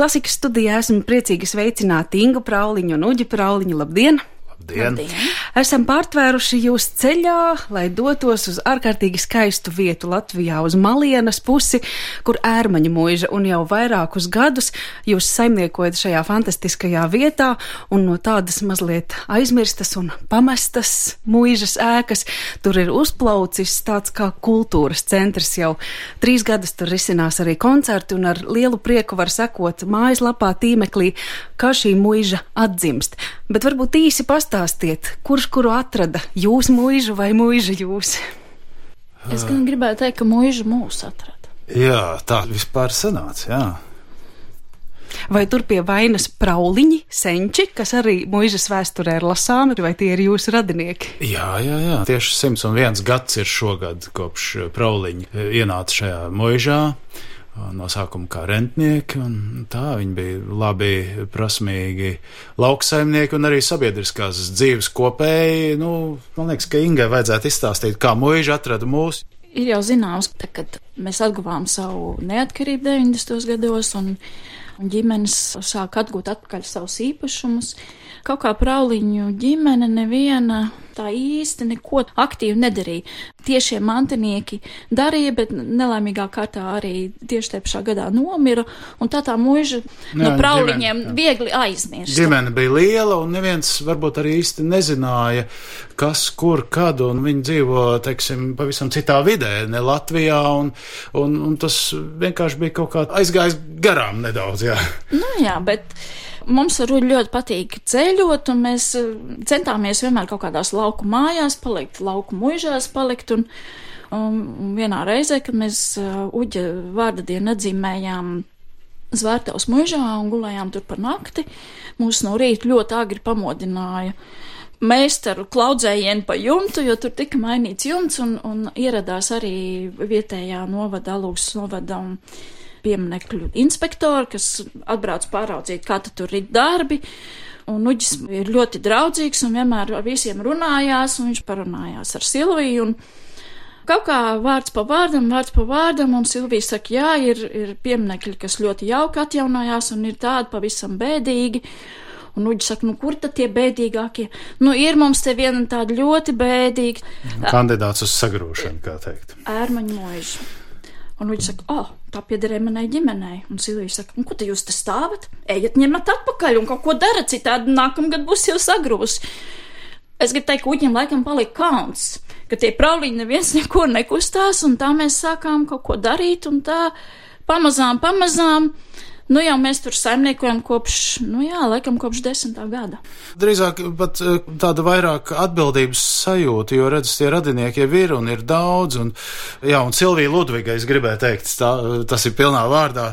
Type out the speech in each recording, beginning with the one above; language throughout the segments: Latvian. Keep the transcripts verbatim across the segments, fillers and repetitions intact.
Klasikas studijā esmu priecīgi sveicināt Ingu Prauliņu un Uģi Prauliņu. Labdien! Labdien. Labdien! Esam pārtvēruši jūs ceļā, lai dotos uz ārkārtīgi skaistu vietu Latvijā, uz Malienas pusi, kur ērmaņu muiža, un jau vairākus gadus jūs saimniekojat šajā fantastiskajā vietā, un no tādas mazliet aizmirstas un pamestas muižas ēkas tur ir uzplaucis tāds kā kultūras centrs. Jau trīs gadus tur risinās arī koncerti, un ar lielu prieku var sekot mājaslapā, tīmeklī, kā šī muiža atdzimst. Bet varbūt īsi pastāstiet, kurš kuru atrada, jūs muižu vai muiža jūs? Es gan gribēju teikt, ka muiža mūs atrada. Jā, tā vispār sanāca, jā. Vai tur pie vainas Prauliņi, senči, kas arī muižas vēsturē ir lasāmi, vai tie ir jūsu radinieki? Jā, jā, jā. Tieši simts un viens gads ir šogad, kopš Prauliņi ienāca šajā muižā. No sākuma kā rentnieki, un tā viņi bija labi, prasmīgi lauksaimnieki un arī sabiedriskās dzīves kopēji. Nu, man liekas, ka Ingai vajadzētu izstāstīt, kā muiža atrada mūs. Ir jau zināms, ka, kad mēs atguvām savu neatkarību deviņdesmitos gados un, un ģimenes sāk atgūt atpakaļ savus īpašumus, kaut kā Prauliņu ģimene neviena tā īsti neko aktīvi nedarīja. Tiešie mantinieki darīja, bet nelaimīgā kārtā arī tieši tajā pašā gadā nomira, un tā tā muiža no Prauliņiem ģimene, viegli aizmirst. Ģimene bija liela, un neviens varbūt arī īsti nezināja, kas, kur, kad, un viņi dzīvo, teiksim, pavisam citā vidē, ne Latvijā, un, un, un tas vienkārši bija kaut kā aizgājis garām nedaudz, jā. Nu jā, bet mums ar Uģi ļoti patīk ceļot, un mēs centāmies vienmēr kaut kādās lauku mājās palikt, lauku muižās palikt, un, un vienā reizē, kad mēs Uģa vārda dienu atzīmējām Zvērtavas muižā un gulējām tur par nakti, mūs no rīta ļoti agri pamodināja meistaru klaudzējienu pa jumtu, jo tur tika mainīts jumts, un, un ieradās arī vietējā novada, Alūksnes novada un pieminekļu inspektori, kas atbrauc pāraudzīt, kā tur ir darbi, un Uģis ir ļoti draudzīgs un vienmēr ar visiem runājās, un viņš parunājās ar Silviju, un kaut kā vārds pa vārdam, vārds pa vārdam, un Silvija saka, jā, ir, ir pieminekļi, kas ļoti jauki atjaunājās, un ir tādi pavisam bēdīgi, un Uģis saka, nu kur tad tie bēdīgākie? Nu ir mums te viena tāda ļoti bēdīga. Kandidāts uz sagrūšanu, kā teikt. Ērmaņu muiža. Un Uģis saka, o, oh, tā piederēja manai ģimenei. Un Silvija saka, un ko te jūs te stāvat? Ejiet ņemat atpakaļ un kaut ko dara, citādi nākamgad būs jau sagrūs. Es gribu teikt, ka Uģim laikam palika kauns, ka tie Prauliņi neviens neko nekustās, un tā mēs sākām kaut ko darīt, un tā pamazām, pamazām. Nu jau mēs tur saimniekojam kopš, nu jā, laikam kopš desmitā gada. Drīzāk pat tāda vairāk atbildības sajūta, jo redz, tie radinieki jau ir un ir daudz, un jā, un Silvija Ludviga, es gribēju teikt, tā, tas ir pilnā vārdā,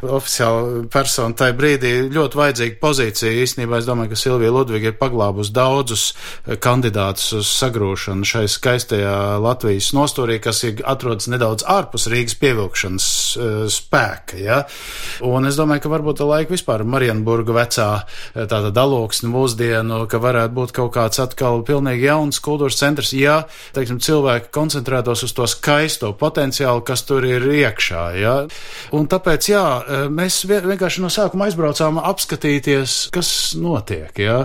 oficiāli persona tajā brīdī ļoti vajadzīga pozīcija. Īstenībā es domāju, ka Silvija Ludviga ir paglābus daudzus kandidātus uz sagrūšanu šai skaistajā Latvijas nostūrī, kas ir atrodas nedaudz ārpus Rīgas pievilkšanas uh, spēka, ja, un es domāju, ka varbūt ar laiku vispār Marienburga vecā tāda Alūksne mūsdienu, ka varētu būt kaut kāds atkal pilnīgi jauns kultūras centrs, ja, teiksim, cilvēki koncentrētos uz to skaisto potenciālu, kas tur ir iekšā, ja. Un tāpēc, jā, mēs vienkārši no sākuma aizbraucām apskatīties, kas notiek, ja.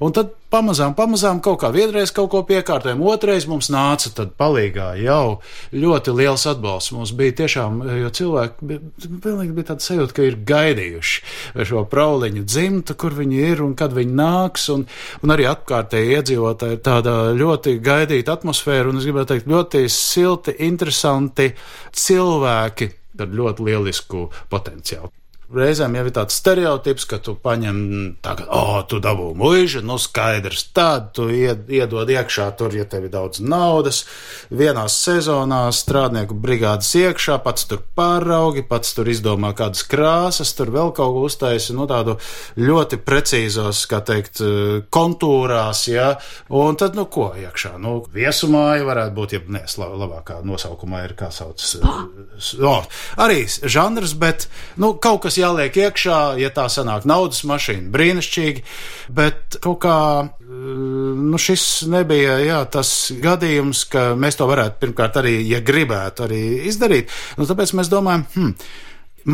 Un tad pamazām, pamazām kaut kā vienreiz kaut ko piekārtojam, otrais mums nāca tad palīgā jau ļoti liels atbalsts. Mums bija tiešām, jo cilvēki bija, pilnīgi bija tāda sajūta, ka ir gaidījuši šo Prauliņu dzimtu, kur viņi ir un kad viņi nāks, un, un arī apkārtēji iedzīvotāji ir tāda ļoti gaidīta atmosfēra, un es gribētu teikt, ļoti silti, interesanti cilvēki ar ļoti lielisku potenciālu. Reizēm jau ir tāds stereotips, ka tu paņem tagad, o, oh, tu dabū muižu, nu skaidrs, tad tu ied, iedod iekšā tur, ja tev ir daudz naudas, vienās sezonās strādnieku brigādes iekšā, pats tur pāraugi, pats tur izdomā kādas krāsas, tur vēl kaut ko uztaisi, nu tādu ļoti precīzos, kā teikt, kontūrās, ja, un tad, nu ko iekšā, nu viesumāja varētu būt, ja nes, labākā nosaukumā ir, kā sauc, o, arī žanrs, bet, nu, kaut kas jāliek iekšā, ja tā sanāk naudas mašīna, brīnišķīgi, bet kaut kā, nu šis nebija, jā, tas gadījums, ka mēs to varētu pirmkārt arī, ja gribētu arī izdarīt, nu tāpēc mēs domājam, hm,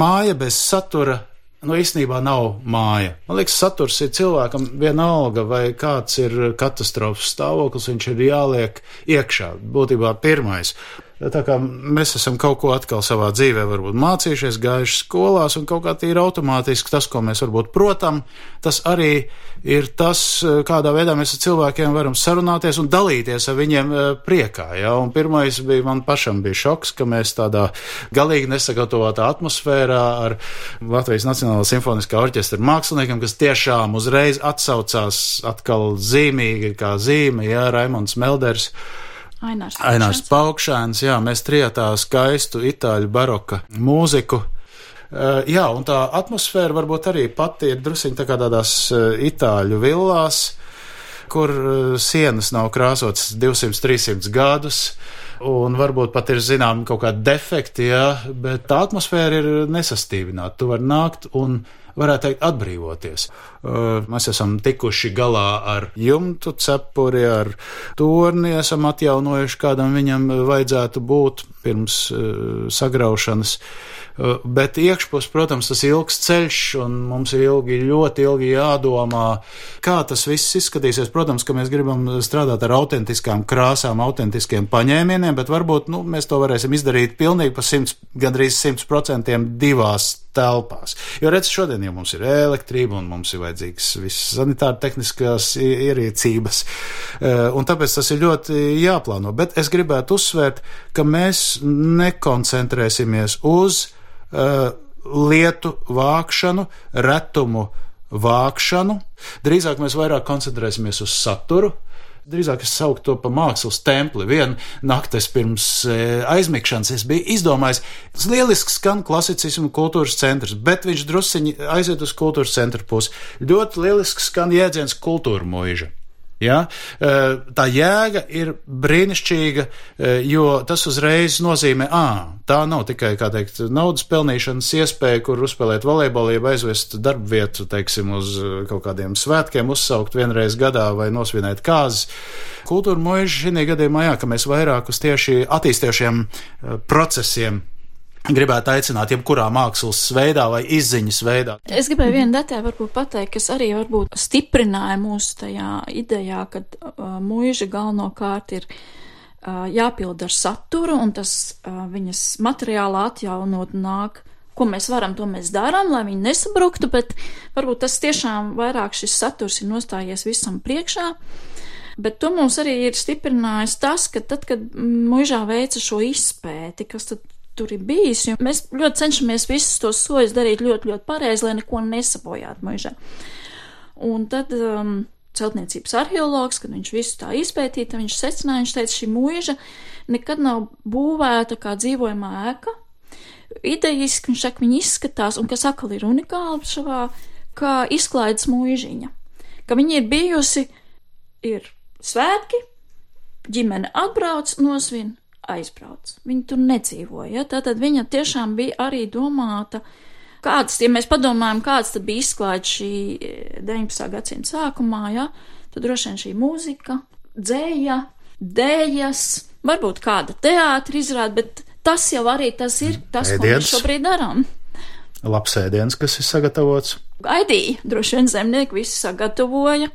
māja bez satura nu, īstenībā nav māja. Man liekas, saturs ir cilvēkam vienalga, vai kāds ir katastrofas stāvoklis, viņš ir jāliek iekšā, būtībā pirmais. Tā kā mēs esam kaut ko atkal savā dzīvē varbūt mācījušies, gājuši skolās, un kaut kā tīri automātiski tas, ko mēs varbūt protam, tas arī ir tas, kādā veidā mēs ar cilvēkiem varam sarunāties un dalīties ar viņiem priekā. Ja? Un pirmais bija, man pašam bija šoks, ka mēs tādā galīgi nesagatavotā atmosfērā ar Latvijas Nacionālā simfoniskā orķestra māksliniekiem, kas tiešām uzreiz atsaucās atkal zīmīgi kā zīme, ja, Raimonds Melders, Ainārs Paukšēns. Ainārs Paukšēns, jā, mēs trijotā skaistu itāļu baroka mūziku. Uh, jā, un tā atmosfēra varbūt arī pati ir drusiņ tā kā tādās uh, itāļu villās, kur uh, sienas nav krāsotas divsimt trīsimt gadus, un varbūt pat ir zinām kaut kādi defekti, jā, bet tā atmosfēra ir nesastīvināta. Tu vari nākt un varētu teikt, atbrīvoties. Mēs esam tikuši galā ar jumtu cepuri, ar torni, esam atjaunojuši, kādam viņam vajadzētu būt pirms sagraušanas. Bet iekšpus, protams, tas ilgs ceļš, un mums ir ilgi, ļoti ilgi jādomā, kā tas viss izskatīsies. Protams, ka mēs gribam strādāt ar autentiskām krāsām, autentiskiem paņēmieniem, bet varbūt, nu, mēs to varēsim izdarīt pilnīgi pa simts, gandrīz simts procentiem divās telpās. Jo redz, šodien jau mums ir elektrība, un mums ir vajadzīgs visas sanitāra tehniskās ierīcības, un tāpēc tas ir ļoti jāplāno. Bet es gribētu uzsvērt, ka mēs nekoncentrēsimies uz uh, lietu vākšanu, retumu vākšanu. Drīzāk mēs vairāk koncentrēsimies uz saturu. Drīzāk es sauktu to pa mākslas templi. Vienu naktes pirms e, aizmigšanas es biju izdomājis, tas lieliski skan klasicismu kultūras centrs, bet viņš drusciņi aiziet uz kultūras centra pusi. Ļoti lieliski skan jēdziens kultūra muiža. Ja? Tā jēga ir brīnišķīga, jo tas uzreiz nozīmē, ā, tā nav tikai, kā teikt, naudas pelnīšanas iespēja, kur uzspēlēt volejbolu, jeb aizvest darbu vietu, teiksim, uz kaut kādiem svētkiem, uzsaukt vienreiz gadā vai nosvinēt kāzes. Kultūra muiža šī gadījumā, jā, ka mēs vairāk uz tieši attīstošiem procesiem gribētu aicināt jebkurā mākslas veidā vai izziņas veidā. Es gribēju vienu detaļu varbūt pateikt, kas arī varbūt stiprināja mūsu tajā idejā, kad uh, muiža galvenokārt ir uh, jāpild ar saturu, un tas uh, viņas materiāli atjaunot nāk. Ko mēs varam, to mēs darām, lai viņi nesabruktu, bet varbūt tas tiešām vairāk šis saturs ir nostājies visam priekšā. Bet to mums arī ir stiprinājis tas, ka tad, kad muižā veica šo izpēti, kas tad tur ir bijis, jo mēs ļoti cenšamies visus tos soļus darīt ļoti, ļoti pareizi, lai neko nesabojātu muižā. Un tad um, celtniecības arheologs, kad viņš visu tā izpētīja, viņš secināja, viņš teica, šī muiža nekad nav būvēta kā dzīvojamā ēka. Idejiski, viņš saka, viņi izskatās, un kas atkal ir unikāli šavā, kā izklaides muižiņa. Ka viņi ir bijusi, ir svētki, ģimene atbrauc, nosvin, aizbrauc. Viņa tur nedzīvoja, ja? Tātad viņa tiešām bija arī domāta, kāds, ja mēs padomājam, kāds tad bija izklāts šī deviņpadsmitā gadsimta sākumā, ja? Tad droši vien šī mūzika, dzēja, dējas, varbūt kāda teātra izrāda, bet tas jau arī tas ir tas, ēdiens, ko mēs šobrīd darām. Labs ēdiens, kas ir sagatavots. Gaidīja, droši vien zemnieki visi sagatavoja.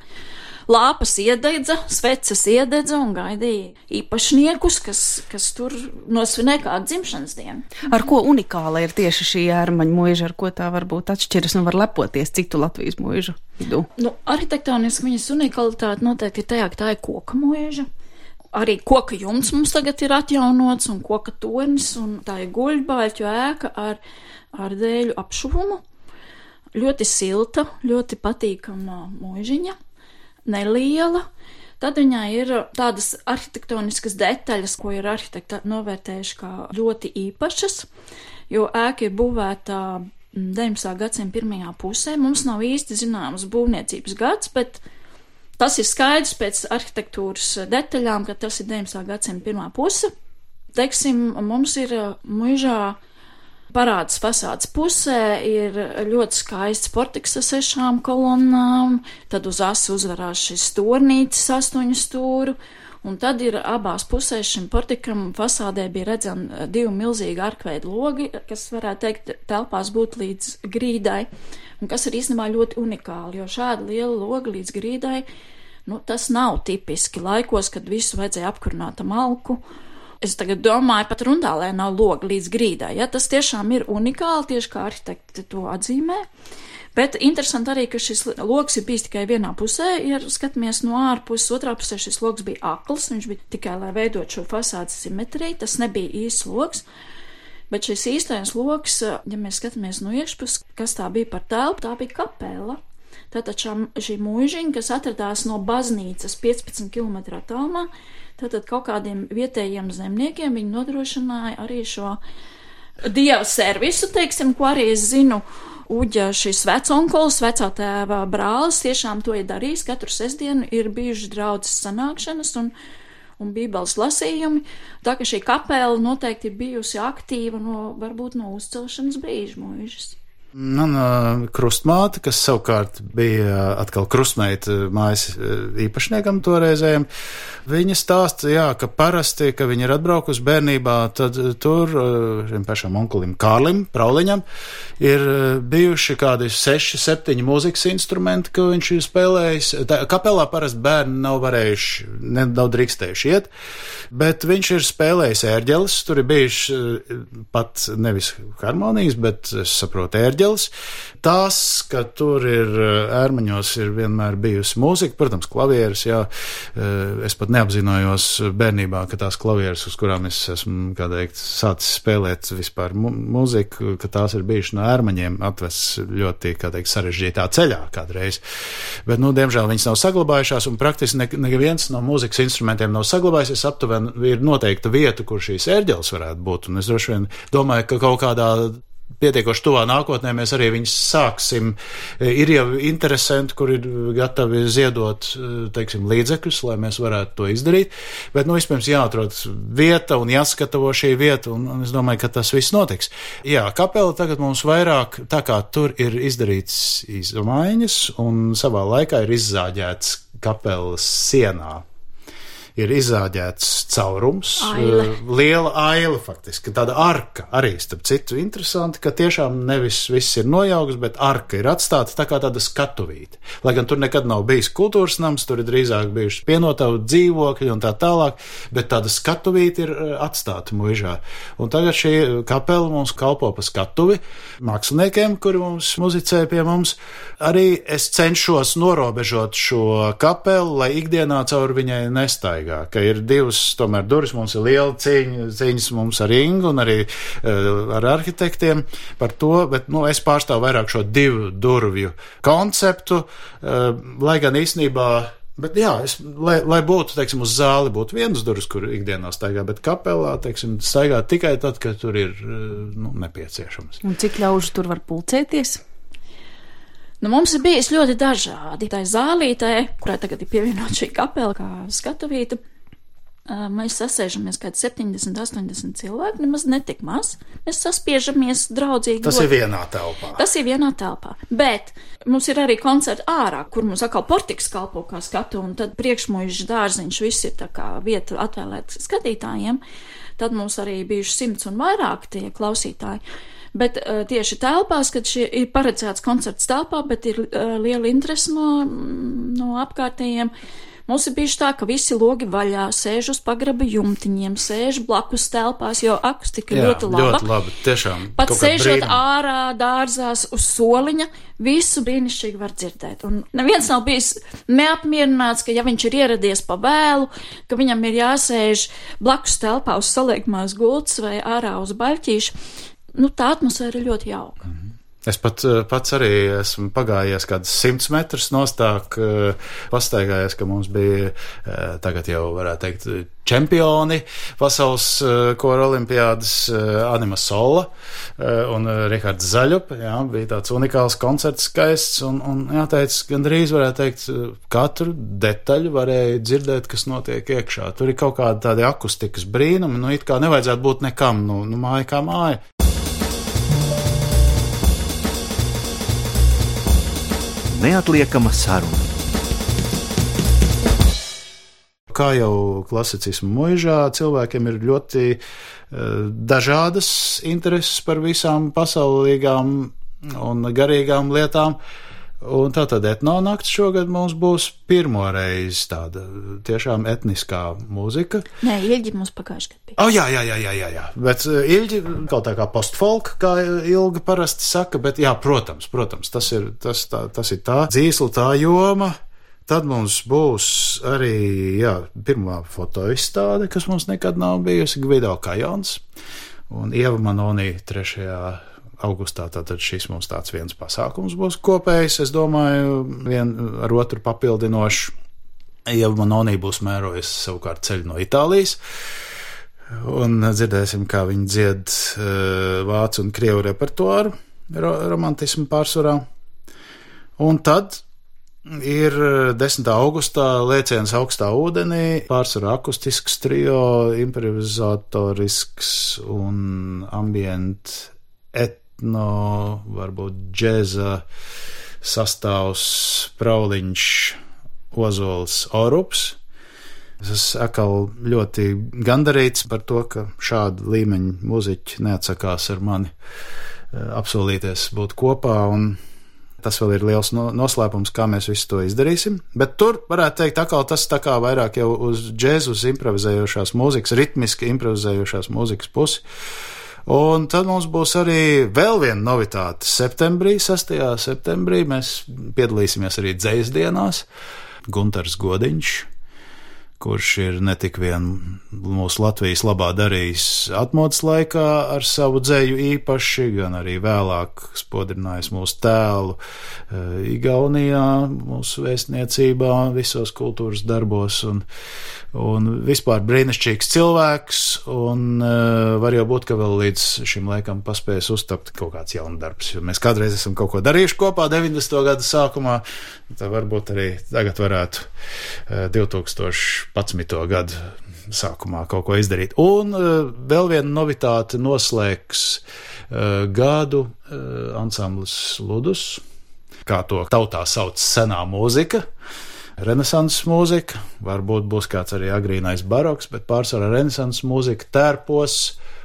Lāpas iededza, sveces iededza un gaidīja īpašniekus, kas, kas tur nosvinēja kādu dzimšanas dienu. Ar ko unikāla ir tieši šī ērmaņa muiža, ar ko tā varbūt atšķiras un var lepoties citu Latvijas muižu vidū? Nu, arhitektoniski viņas unikalitāte noteikti ir tajā, ka tā ir koka muiža. Arī koka jumts mums tagad ir atjaunots un koka tornis, un tā ir guļbāļķu ēka ar, ar dēļu apšuvumu. Ļoti silta, ļoti patīkama muižiņa. Neliela, tad viņā ir tādas arhitektoniskas detaļas, ko ir arhitekti novērtējuši kā ļoti īpašas, jo ēka ir būvēta deviņpadsmitā gadsimta pirmajā pusē. Mums nav īsti zināms būvniecības gads, bet tas ir skaidrs pēc arhitektūras detaļām, ka tas ir deviņpadsmitā gadsimta pirmā puse. Teiksim, mums ir muižā parādas fasādes pusē ir ļoti skaists portiks ar sešām kolonnām, tad uz asu uzvarās šis tornītis astoņu stūru, Un tad ir abās pusēs šim portikam fasādē bija redzami divi milzīgi arkveidu logi, kas varētu teikt telpās būt līdz grīdai, un kas ir īstenībā ļoti unikāli, jo šāda liela loga līdz grīdai, nu, tas nav tipiski laikos, kad visu vajadzēja apkurināt ar malku. Es tagad domāju, pat Rundālē nav loga līdz grīdai, ja tas tiešām ir unikāli, tieši kā arhitekti to atzīmē. Bet interesanti arī, ka šis logs ir bijis tikai vienā pusē, ja skatāmies no ārpuses, otrā pusē šis logs bija akls, viņš bija tikai, lai veidot šo fasādes simetriju, tas nebija īsts logs, bet šis īstais logs, ja mēs skatāmies no iekšpuses, kas tā bija par telpu, tā bija kapela. Tātad šā, šī mūžiņa, kas atradās no baznīcas piecpadsmit kilometru attālumā, tātad kaut kādiem vietējiem zemniekiem viņi nodrošināja arī šo dieva servisu, teiksim, ko arī es zinu, Uģa šis veconkols, vecā tēva brālis, tiešām to ir darījis, katru sestdienu ir bijuši draudzes sanākšanas un, un bībeles lasījumi, tā ka šī kapela noteikti ir bijusi aktīva no, varbūt no uzcelšanas brīža mūžas. Man uh, krustmāte, kas savukārt bija atkal krustmeita mājas īpašniekam toreizējam, viņa stāsta, jā, ka parasti, ka viņa ir atbraukusi bērnībā, tad tur šim pašam onkulim Kārlim, Prauliņam, ir bijuši kādi seši, septiņi mūzikas instrumenti, ko viņš ir spēlējis. Tā, kapelā parasti bērni nav varējuši, ne, nav drīkstējuši iet, bet viņš ir spēlējis ērģeles, tur ir bijuši pat nevis harmonijas, bet es saprotu ērģeles. Tās, ka tur ir ērmaņos ir vienmēr bijusi mūzika, protams, klavieres, jā, es pat neapzinājos bērnībā, ka tās klavieres, uz kurām es esmu, kā teikt, sācis spēlēt vispār mūziku, ka tās ir bijuši no ērmaņiem atvests ļoti, kā teikt, sarežģītā ceļā kādreiz. Bet, nu, diemžēl viņas nav saglabājušās, un praktiski ne, neviens no mūzikas instrumentiem nav saglabājis. Es aptuveni ir noteikta vieta, kur šīs ērģeles varētu būt, un es droši vien domāju, ka kaut kādā pietiekoši tuvā nākotnē mēs arī viņus sāksim. Ir jau interesanti, kur ir gatavi ziedot, teiksim, līdzekļus, lai mēs varētu to izdarīt, bet, nu, vispirms jāatrod vieta un jāskatavo šī vieta, un, un es domāju, ka tas viss notiks. Jā, kapela tagad mums vairāk, tā kā tur ir izdarīts izmaiņas, un savā laikā ir izzāģēts kapelas sienā. Ir izzāģēts caurums, Aile. liela aila faktiski, tāda arka arī, starp citu, interesanti, ka tiešām nevis viss ir nojauks, bet arka ir atstāta tā kā tāda skatuvīte. Lai gan tur nekad nav bijis kultūras nams, tur ir drīzāk bijuši pienotavu dzīvokļi un tā tālāk, bet tāda skatuvīte ir atstāta muižā. Un tagad šī kapela mums kalpo pa skatuvi māksliniekiem, kuri mums muzicē pie mums. Arī es cenšos norobežot šo kapelu, lai ikdienā caur viņai nestaigā. Ka ir divas, tomēr durvis, mums ir liela cīņa, cīņas mums ar Ingu un arī uh, ar arhitektiem par to, bet, nu, es pārstāvu vairāk šo divu durvju konceptu, uh, lai gan īstenībā, bet jā, es, lai, lai būtu, teiksim, uz zāli būtu vienas durvis, kur ikdienā staigā, bet kapelā, teiksim, staigā tikai tad, kad tur ir, uh, nu, nepieciešams. Un cik ļaužu tur var pulcēties? Nu, mums ir bijis ļoti dažādi. Tā zālītē, kurai tagad ir pievienot šī kapela kā skatuvīta, mēs sasēžamies kādi septiņdesmit, astoņdesmit cilvēki, nemaz netik maz. Mēs saspiežamies draudzīgi. Tas ļoti. ir vienā telpā. Tas ir vienā telpā. Bet mums ir arī koncerti ārā, kur mums atkal portiks kalpo kā skatu, un tad priekšmuižas dārziņš, viss ir tā kā vieta atvēlēt skatītājiem. Tad mums arī bijuši simts un vairāk tie klausītāji. Bet uh, tieši telpās, kad šie ir paredzēts koncerts telpā, bet ir uh, liela interese no, no apkārtējiem, mums ir bijuši tā, ka visi logi vaļā, sēž uz pagraba jumtiņiem, sēž blakus telpās, jo akustika ir ļoti laba. ļoti labi, tiešām. Pat sēžot ārā, dārzās, uz soliņa, visu brīnišķīgi var dzirdēt. Un neviens nav bijis neapmierināts, ka ja viņš ir ieradies pa vēlu, ka viņam ir jāsēž blakus telpā uz saliekmās gultas vai ārā uz baļķīšu. Nu, tā atmosfēra ir ļoti jauka. Mm-hmm. Es pat, pats arī esmu pagājies kādus simts metrus nostāk, pastaigājies, ka mums bija tagad jau, varētu teikt, čempioni pasaules kora olimpiādas Anima Sola un Rihards Zaļup. Jā, bija tāds unikāls koncerts, skaists, un, un jāteic, gandrīz varētu teikt, katru detaļu varēja dzirdēt, kas notiek iekšā. Tur ir kaut kādi tādi akustikas brīnumi, nu, it kā nevajadzētu būt nekam, nu, nu māja kā māja. Neatliekama saruna. kā jau klasicismu muižā, cilvēkiem ir ļoti uh, dažādas intereses par visām pasaulīgām un garīgām lietām. Un tātad etnonakts šogad mums būs pirmo reizi tāda tiešām etniskā mūzika. Nē, Ilģi mums pagājuši gadu bija. Oh, jā, jā, jā, jā, jā, jā. Bet uh, Ilģi kaut tā kā postfolk, kā Ilga parasti saka, bet jā, protams, protams, tas ir, tas, tā, tas ir tā dzīsla, tā joma. Tad mums būs arī, jā, pirmā fotoizstāde, kas mums nekad nav bijusi, Gvido Kajons un Ieva Manonī trešajā augustā, tātad šis mums tāds viens pasākums būs kopējs, es domāju, vien ar otru papildinoši. Ieva Manonī būs mērojusi savukārt ceļu no Itālijas, un dzirdēsim, kā viņi dzied uh, vācu un krievu repertuāru, ro romantismu pārsvarā. Un tad ir desmitā augustā Lēciens augstā ūdenī, pārsvarā akustisks trio, improvizatorisks un ambient et no, varbūt džēza sastāvs Prauliņš, Ozols, Orups. Es esmu atkal ļoti gandarīts par to, ka šāda līmeņa muziķi neatsakās ar mani apsolīties būt kopā, un tas vēl ir liels noslēpums, kā mēs visu to izdarīsim. Bet tur, varētu teikt, atkal tas tā kā vairāk jau uz džēzu, uz improvizējošās mūzikas, ritmiski improvizējošās mūzikas pusi. Un tad mums būs arī vēl viena novitāte septembrī, sastajā septembrī. Mēs piedalīsimies arī dzejas dienās. Guntars Godiņš, kurš ir ne tik vien mūsu Latvijas labā darījis atmodas laikā ar savu dzeju īpaši, gan arī vēlāk spodrinājis mūsu tēlu Igaunijā, mūsu vēstniecībā, visos kultūras darbos, un, un vispār brīnišķīgs cilvēks, un uh, var jau būt, ka vēl līdz šim laikam paspējas uztapt kaut kāds jauns darbs, jo mēs kādreiz esam kaut ko darījuši kopā deviņdesmito gadu sākumā, tad varbūt arī tagad varētu uh, divtūkstoš gadu sākumā kaut ko izdarīt. Un uh, vēl viena novitāte noslēgs uh, gadu uh, ansamblis Ludus, kā to tautā sauc senā mūzika, renesanses mūzika, varbūt būs kāds arī agrīnais baroks, bet pārsvarā renesanses mūzika tērpos,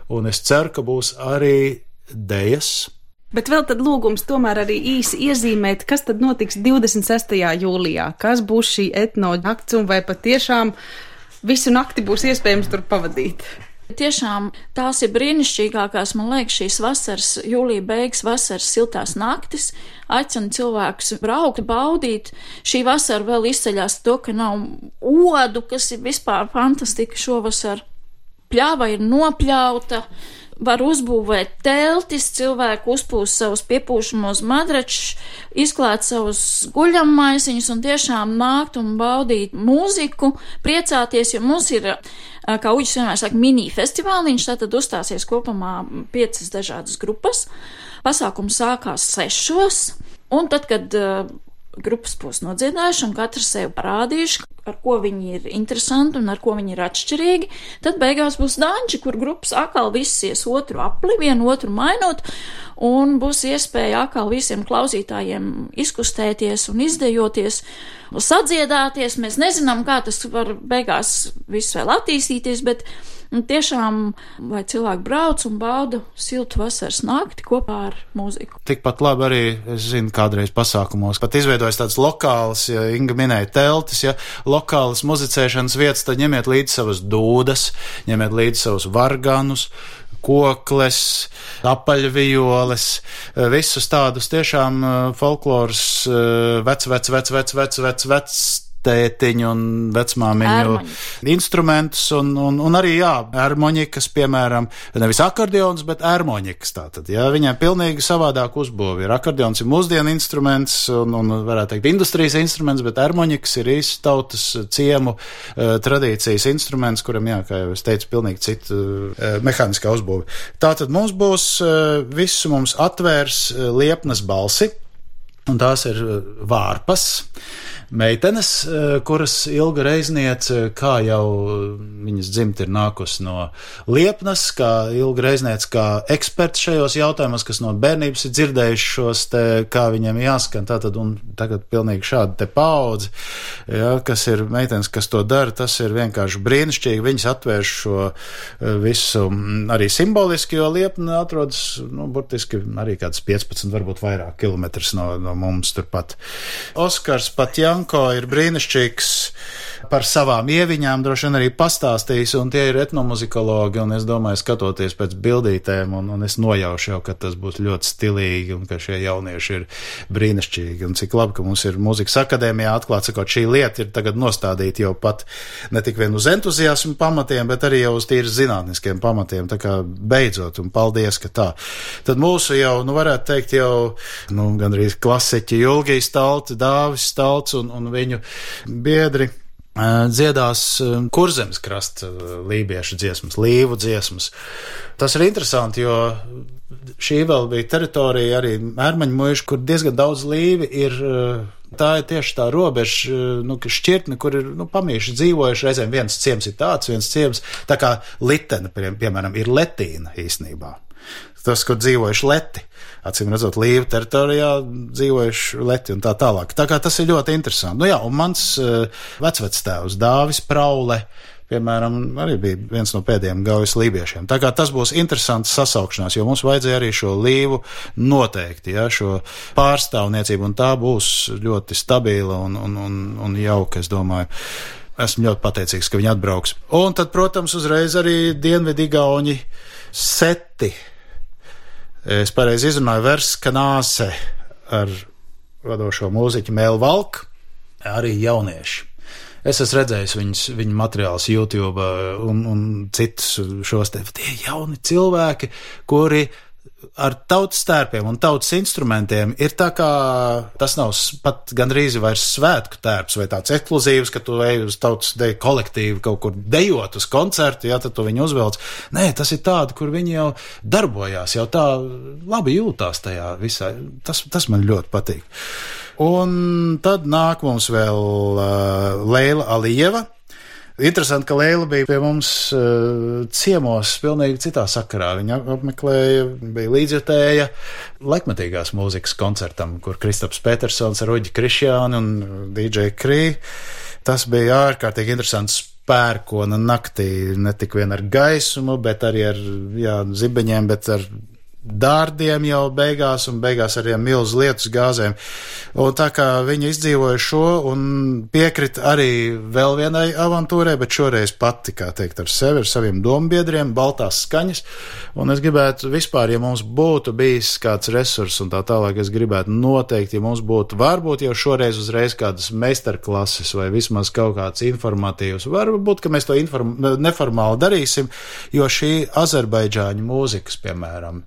un es ceru, ka būs arī dejas. Bet vēl tad lūgums tomēr arī īsi iezīmēt, kas tad notiks divdesmit sestajā jūlijā, kas būs šī etno nakts, un vai patiešām visu nakti būs iespējams tur pavadīt. Tiešām tās ir brīnišķīgākās, man liekas, šīs vasaras, jūlija beigas vasaras siltās naktis, aicina cilvēkus braukt, baudīt. Šī vasara vēl izceļās to, ka nav odu, kas ir vispār fantastika šovasar. Pļāva ir nopļauta, var uzbūvēt teltis, cilvēku uzpūst savus piepūšamos madračus, izklāt savus guļammaisiņus un tiešām nākt un baudīt mūziku, priecāties, jo mums ir, kā Uģis vienmēr saka, mini festivāliņš, tātad uzstāsies kopumā piecas dažādas grupas. Pasākums sākās sešos, un tad, kad uh, grupas būs nodziedājuši un katrs sev parādījuši, ar ko viņi ir interesanti un ar ko viņi ir atšķirīgi, tad beigās būs danči, kur grupas atkal viss ies otru apli, vienu otru mainot, un būs iespēja atkal visiem klausītājiem izkustēties un izdejoties, sadziedāties. Mēs nezinām, kā tas var beigās viss vēl attīstīties, bet tiešām, lai cilvēki brauc un bauda siltu vasaras nakti kopā ar mūziku. Tikpat labi arī, es zinu, kādreiz pasākumos, pat izveidojas tāds lokāls, ja Inga minēja teltis, ja lokālas muzicēšanas vietas, tad ņemiet līdzi savas dūdas, ņemiet līdzi savus varganus, kokles, apaļvioles, visus tādus tiešām folkloras vec, vec, vec, vec, vec, vec, vec, tētiņu un vecmāmiņu instrumentus, un, un, un arī, jā, ērmoņikas, piemēram, nevis akordeons, bet ērmoņikas tātad, jā, viņai pilnīgi savādāk uzbūvi. Ir akordeons ir mūsdienu instruments, un, un varētu teikt industrijas instruments, bet ērmoņikas ir īsti tautas ciemu uh, tradīcijas instruments, kuram, jā, kā jau es teicu, pilnīgi cita uh, mehāniskā uzbūve. Tātad mums būs, uh, visu mums atvērs uh, liepnas balsi, un tās ir uh, vārpas. meitenes, kuras Ilga Reizniece, kā jau viņas dzimta ir nākusi no Liepnas, kā Ilga Reizniece, kā eksperts šajos jautājumos, kas no bērnības ir dzirdējuši šos te, kā viņiem jāskan, tātad, un tagad pilnīgi šādi te paudzi, ja, kas ir meitenes, kas to dara, tas ir vienkārši brīnišķīgi, viņas atvērš šo visu arī simboliski, jo Liepna atrodas, nu, burtiski arī kāds piecpadsmit, varbūt vairāk kilometrus no, no mums turpat. Oskars Patjanko ir brīnišķīgs par savām ieviņām, droši vien arī pastāstījis, un tie ir etnomuzikologi, un es domāju, skatoties pēc bildītēm, un, un es nojaušu jau, ka tas būs ļoti stilīgi, un ka šie jaunieši ir brīnišķīgi, un cik labi, ka mums ir mūzikas akadēmijā atklāt, sakot, šī lieta ir tagad nostādīta jau pat ne tik vien uz entuziasmu pamatiem, bet arī jau uz tīri zinātniskiem pamatiem, tā kā beidzot, un paldies, ka tā. Tad mūsu jau, nu varētu teikt jau, nu gandrīz klasiķi Julgijas Stalts, Dāvis Stalts un, un viņu biedri dziedās Kurzemes krasta lībiešu dziesmas, līvu dziesmas. Tas ir interesanti, jo šī vēl bija teritorija arī Ērmaņu muiža, kur diezgan daudz līvi ir. Tā ir tieši tā robeža, nu, šķirtne, kur ir, nu, pamīši dzīvojuši, reizēm viens ciems ir tāds, viens ciems, tā kā Litena, piemēram, ir Letīna īstenībā. Tas, kur dzīvojuši leti, acīm redzot, līvu teritorijā dzīvojuši leti un tā tālāk. Tā kā tas ir ļoti interesanti. Nu jā, un mans uh, vecvectēvs Dāvis Praule, piemēram, arī bija viens no pēdējiem gaujas lībiešiem. Tā kā tas būs interesants sasaukšanās, jo mums vajadzēja arī šo līvu noteikti, ja, šo pārstāvniecību, un tā būs ļoti stabila un, un, un, un jauka, es domāju. Esmu ļoti pateicīgs, ka viņi atbrauks. Un tad, protams, uzreiz arī Dienvidigauņi Seti. Es pareizi izrunāju Verskanāse ar vadošo mūziķu Mēlu Valku, arī jaunieši. Es esmu redzējis viņus, viņu materiālus YouTube un, un citus šos te, tie jauni cilvēki, kuri ar tautas tērpiem un tautas instrumentiem ir tā kā, tas nav pat gandrīz vairs svētku tērps vai tāds ekskluzīvs, ka tu ej uz tautas deju kolektīvu kaut kur dejot uz koncertu, jā, tad tu viņu uzvelc. Nē, tas ir tādi, kur viņi jau darbojās, jau tā labi jūtās tajā visā. Tas, tas man ļoti patīk. Un tad nāk mums vēl uh, Leila Alijeva. Interesanti, ka Leila bija pie mums uh, ciemos pilnīgi citā sakarā. Viņa apmeklēja, bija līdzjutēja laikmetīgās mūzikas koncertam, kur Kristaps Petersons ar Uģi Krišjāni un D J Krī. Tas bija ārkārtīgi interesants pērkona naktī, ne tik vien ar gaisumu, bet arī ar, jā, zibeņiem, bet ar dārdiem jau beigās un beigās arī milzu lietus gāzēm. Un tā kā viņi izdzīvoja šo un piekrit arī vēl vienai avantūrai, bet šoreiz pati, kā teikt, ar sevi, ar saviem dombiedriem, baltās skaņas. Un es gribētu vispār, ja mums būtu bijis kāds resurs un tā tālāk, es gribētu noteikti, ja mums būtu varbūt jau šoreiz uzreiz kādas meistarklases vai vismaz kaut kāds informatīvs. Varbūt, ka mēs to inform- neformāli darīsim, jo šī Azerbaidžāņu mūzikas, piemēram,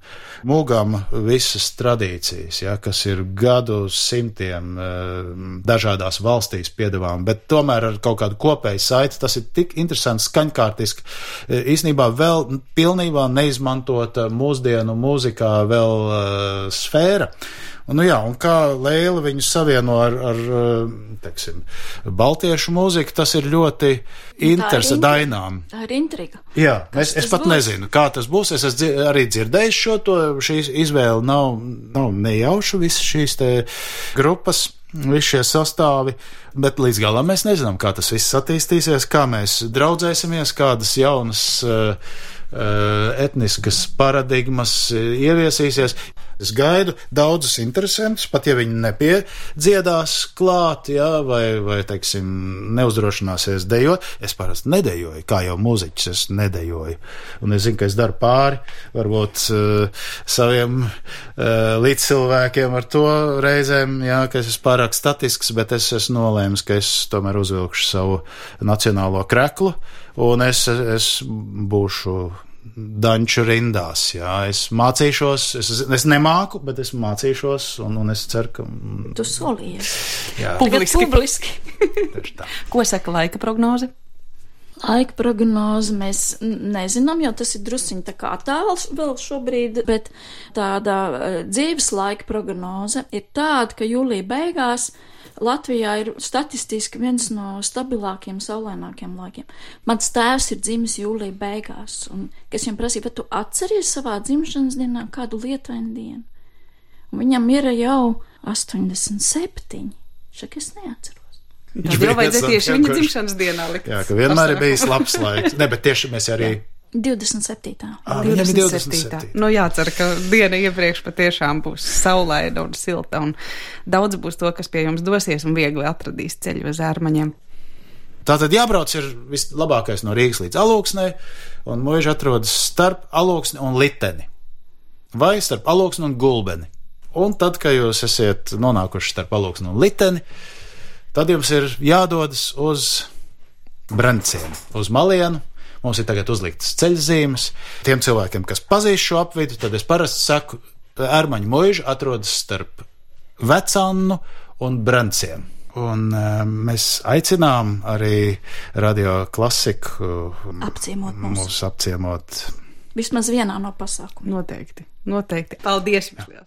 mūgam visas tradīcijas, ja, kas ir gadu simtiem dažādās valstīs piedāvām, bet tomēr ar kaut kādu kopēju saiti, tas ir tik interesants, skaņkārtiski, īstenībā vēl pilnībā neizmantota mūsdienu mūzikā vēl uh, sfēra. Un, nu jā, un kā Leila viņu savieno ar, ar teiksim, baltiešu mūziku, tas ir ļoti interesanti dainām. Tā ir intriga. Jā, es, es pat būs? nezinu, kā tas būs. Es esmu arī dzirdējis šo to, šī izvēle nav, nav nejauša, visas šīs te grupas, visi šie sastāvi, bet līdz galam mēs nezinām, kā tas viss attīstīsies, kā mēs draudzēsimies, kādas jaunas uh, uh, etniskas paradigmas ieviesīsies. Es gaidu daudzus interesantus, pat ja viņi nepiedziedās klāt, jā, vai, vai, teiksim, neuzdrošināsies dejot. Es parasti nedejoju, kā jau mūziķis, es nedejoju. Un es zinu, ka es daru pāri, varbūt uh, saviem uh, līdzcilvēkiem ar to reizēm, jā, ka es esmu pārāk statisks, bet es esmu nolēmis, ka es tomēr uzvilkšu savu nacionālo kreklu, un es, es būšu danču rindās, jā, es mācīšos, es, es nemāku, bet es mācīšos, un, un es ceru, ka... Tu solījies. Jā. Publiski. publiski. Ko saka laika prognoze? Laika prognoze mēs nezinām, jo tas ir drusciņi tā kā tāls vēl šobrīd, bet tāda dzīves laika prognoze ir tāda, ka jūlija beigās Latvijā ir statistiski viens no stabilākiem, saulainākiem laikiem. Mans tēvs ir dzimis jūlija beigās, un es viņam prasīju, vai tu atceries savā dzimšanas dienā kādu lietainu dienu? Un viņam ir jau astoņdesmit septiņi, šak es neatceros. Tad jau vajadzēja tieši viņa dzimšanas dienā likt. Jā, ka vienmēr ir bijis labs laiks. Ne, bet tieši mēs arī... divdesmit septītā Ah, divdesmit septītā Nu jācer, ka diena iepriekš patiešām būs saulaina un silta, un daudz būs to, kas pie jums dosies un viegli atradīs ceļu uz Ērmaņiem. Tātad jābrauc ir vislabākais no Rīgas līdz Alūksnei, un Muiža atrodas starp Alūksni un Liteni, vai starp Alūksni un Gulbeni. Un tad, kad jūs esat nonākuši starp Alūksni un Liteni, tad jums ir jādodas uz Branciem, uz Malienu. Mums ir tagad uzliktas ceļzīmes. Tiem cilvēkiem, kas pazīst šo apvidu, tad es parasti saku, Ērmaņu Muiža atrodas starp Vecannu un Branciem. Un um, mēs aicinām arī Radio Klasiku apciemot mūs. mūs apciemot. Vismaz vienā no pasākumiem. Noteikti, noteikti. Paldies! Jā.